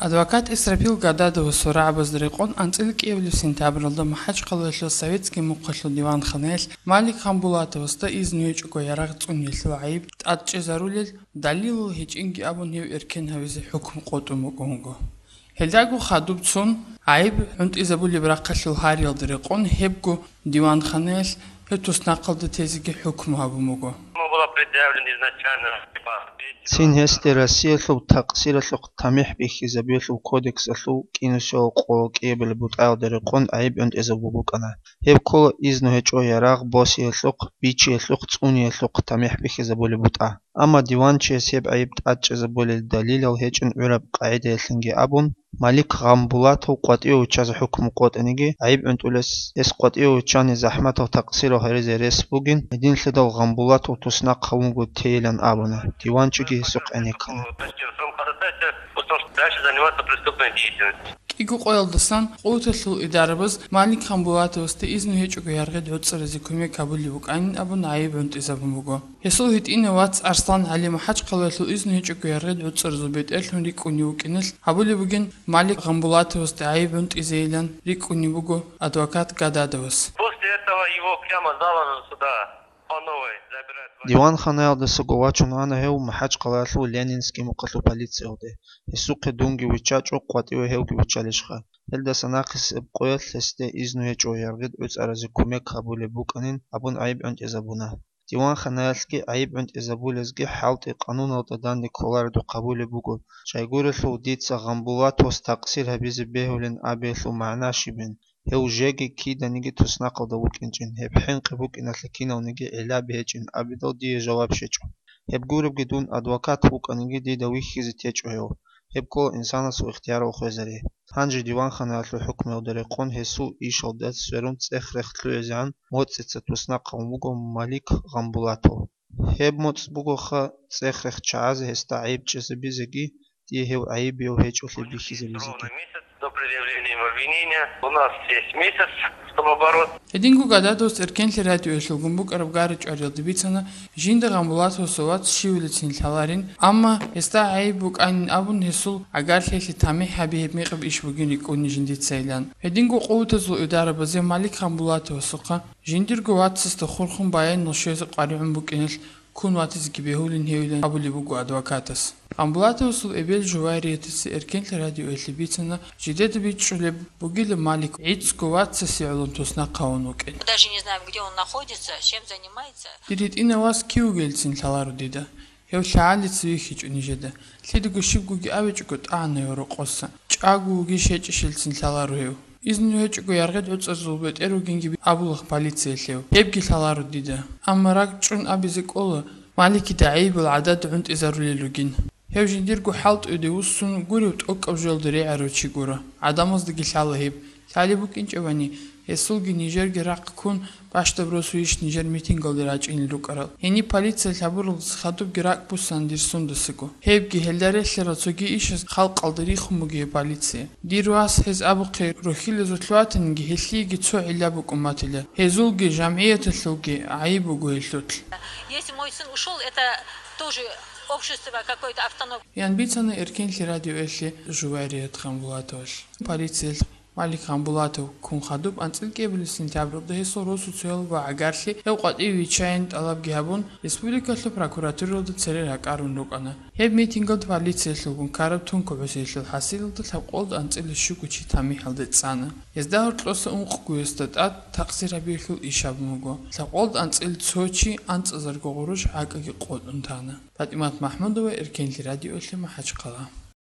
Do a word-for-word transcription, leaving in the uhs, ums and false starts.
Адвокат Исрапил Гададовасул рагӀабазда рекъон анцӀила кӀиабилеб сентябралда МахӀачхъалаялъул Советский мухъалъул диванханаялъ Малик Гъамбулатовасда изну гьечӀого ярагъ цӀуниялъул гӀайиб тӀадчӀезарулел далилал гьечӀинги абун гьев эркен гьавизе хӀукму къотӀун букӀун буго. Гьелдаго хадуб цун, гӀайиб гӀунтӀизабулеб рахъалъул гьариялда рекъон гьебго диванханаялъ гьев туснахъалда тезеги хӀукму гьабун буго. Цин гьесде Россиялъул такъсиралъухъ тамихӀ бихьизабиялъул кодексалъул кӀинусиялъул къо кӀиабилеб бутӀаялда рекъон гӀайиб гӀунтӀизабун букӀана. Гьеб ккола изну гьечӀо ярагъ босиялъухъ, бичиялъухъ, цӀуниялъухъ тамихӀ бихьизабулеб бутӀа. Амма диванчияс гьеб гӀайиб тӀадчӀезабулел далилал гьечӀин гӀураб къагӀидаялъинги абун, Малик Гъамбулатов къватӀиве виччазе хӀукму къотӀаниги, гӀайиб гӀунтӀулес гьес къватӀиве виччани захӀматал такъсирал гьаризе рес бугин, гьединлъидал Гъамбулатов туснахъ гьавунго тейилан абуна, диванчиги гьесухъ гӀенеккана. КӀиго къоялдасан къуваталъул идарабаз Малик Гъамбулатовасда изну гьечӀого яргъид гӀуцӀаразе кумек гьабулеб букӀанин абун гӀайиб гӀунтӀизабун буго. Гьесул гьитӀинав вац Арслан ГӀали МахӀачхъалаялъул изну гьечӀого яргъид гӀуцӀаразул бетӀерлъун рикӀкӀунев вукӀиналъ гьабулеб бугин Малик Гъамбулатовасда гӀайиб гӀунтӀизейилан рикӀкӀунеб буго адвокат Гададовас. После этого его прямо за ногу сюда по новой забирают. Диванханаялдасаго вачун ана гьев МахӀачхъалаялъул Ленинский мухъалъул полициялде. Гьесухъе дунги виччачӀо, къватӀиве гьевги виччалищха. Гьелдаса нахъисеб къоялъ гьесде изну гьечӀо яргъид гӀуцӀаразе кумек гьабулеб букӀанин абун гӀайиб гӀунтӀизабуна. Диванханаялъги гӀайиб гӀунтӀизабулезги хӀалтӀи къануналда данде кколаредухъ гьабулеб буго. Щайгурелъул дица Гъамбулатовас такъсир гьабизе бегьулин абиялъул магӀна щибин, гьев жеги киданиги туснахъалда вукӀинчӀин, гьеб хӀинкъи букӀиналъе кинавниги гӀиллаби гьечӀин абидал дие жаваб щечӀо. Гьеб гуребги дун адвокат вукӀаниги дида вихьизе течӀо гьев. Гьеб ккола инсанасул ихтиярал хвезари. Гьанже диванханаялъул хӀукмуялда рекъон гьесул ишалда сверун цӀех-рех лъугӀизегӀан моцӀица туснахъ гьавун вуго Малик Гъамбулатов. Гьеб моцӀ бугоха цӀех-рех чагӀазе гьесда гӀайиб чӀезабизеги, дие гьев гӀайибияв гьечӀолъи бихьизабизеги. До предъявления обвинения у нас есть месяц, чтобы бороться. Гьединго Гададовас Эркенлъи радиоялъулгун букӀараб гара-чӀвариялда бицана, жинда Гъамбулатовасул вац щивилицин лъаларин, амма гьесда гӀайиб букӀанин абун гьесул гӀагарлъиялъе тамихӀ гьаби гьеб мекъаб иш бугин рикӀкӀуни жиндицайилан. Гьединго къуватазул идарабазе Малик Гъамбулатовасухъа жиндирго вацасда хурхун баянал щвезе къваригӀун букӀиналъ ккун ватизеги бегьулин гьевилан абулеб буго адвокатас. Гъамбулатовасул эбел Жувайриятаца Эркенлъи радиоялъе бицана, жидеда бичӀчӀулеб бугила Малик гӀицӀго вацасе гӀоло туснахъ гьавун вукӀин. Даже не знаем, где он находится, чем занимается. Дир гьитӀинав вас кив вугелцин лъаларо дида. Гьев лъагӀалица вихьичӀо нижеда. Лъидаго щибгоги абичӀого тӀагӀана гьев рокъоса. ЧӀаго вугищ гьечӀищелцин лъаларо гьев. Изну гьечӀого яргъид гӀуцӀазул бетӀер вугинги абулахъ полициялъ гьев. Гьебги лъаларо дида. Амма ракӀчӀун абизе кӀола, Маликида гӀайибал гӀадада гӀунтӀизарулел ругин. Гьев жиндирго хӀалтӀуде вуссун гурев тӀокӀаб жоялда регӀарав чи гуро. ГӀадамаздаги лъала гьеб. Лъалеб букӀинчӀебани, гьесулги нижерги рахъ ккун, бащдаб росу иш нижер митингалде рачӀинел рукӀарал. Гьениб полициялъ гьабуралдаса хадубги ракӀ буссана дир сундасаго. Гьебги гьелда релълъарал цоги ишаз халкъалда рихун бугеб полиция. Дир вас гьез абухъе рухьилазулъ ватаниги, гьелъиеги цо гӀилла букӀун батила. Гьезулги, жамгӀияталъулги гӀайиб буго гьелъулъ. Если мой сын ушёл, это тоже общество какое-то автономное. Ян бицана Эркенлъи радиоялъе Жувайрият Гъамбулатовалъ. Полициялъ Малик Гъамбулатов ккун хадуб анцӀила кӀиабилеб сентябралда гьесул росу цоял ва гӀагарлъи гьев къватӀиве виччайин тӀалабги гьабун, республикалъул прокуратуралда цере ракӀарун рукӀана. Гьеб митингалда полициялъулгун ккараб тун кӀудиялъул хӀасилалда лъабкъолда анцӀила щуго чи тамихӀалде цӀана. Гьезда гьоркьоса ункъгоясда тӀад такъсир гьабиялъул иш гьабун буго. Лъабкъолда анцӀила цо чи анцӀазарго гъурущ гӀакӀаги къотӀун тана. ПатӀимат МахӀмудова, Эркенлъи радиоялъе, МахӀачхъала.